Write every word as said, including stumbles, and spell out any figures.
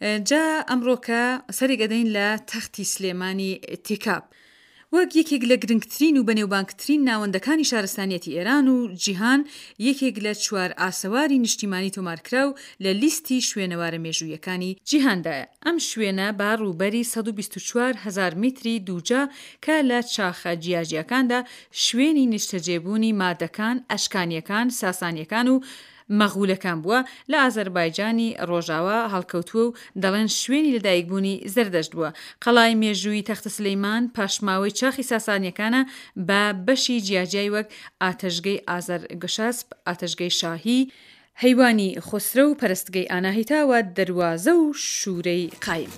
جا ئەمڕۆکە سەرێک ئەدەین لە تەختی سلێمانی تیکاب. وەک یەکێک لە گرنگترین و بەنێوبانگترین ناوەندەکانی شارستانیەتی ئێران و جیهان، یەکێک لە چوار ئاسەواری نیشتیمانی تۆمارکراو لە لیستی شوێنەوارە مێژوویەکانی جیهاندایە. ئەم شوێنە بە ڕووبەری سەد و بیست و چوار هەزار میتری دووجا کە لە چاخە جیاجیاکاندا شوێنی نیشتەجێبوونی مادەکان، ئەشکانیەکان، ساسانیەکان و مەغولەکان بووە، لە ئازەربایجانی ڕۆژاوا هەڵکەوتووە و دەڵێن شوێنی لەدایکبوونی زەردەشت بووە. قەڵای مێژوویی تەختە سلەیمان پاشماوەی چاخی ساسانیەکانە بە بەشی جیاجیای وەک ئاتەشگەی ئازەرگشەسپ، ئاتەشگەی شاهی، هەیوانی خۆسرەو، پەرستگەی ئاناهیتا و دەروازە و شوورەی قایم.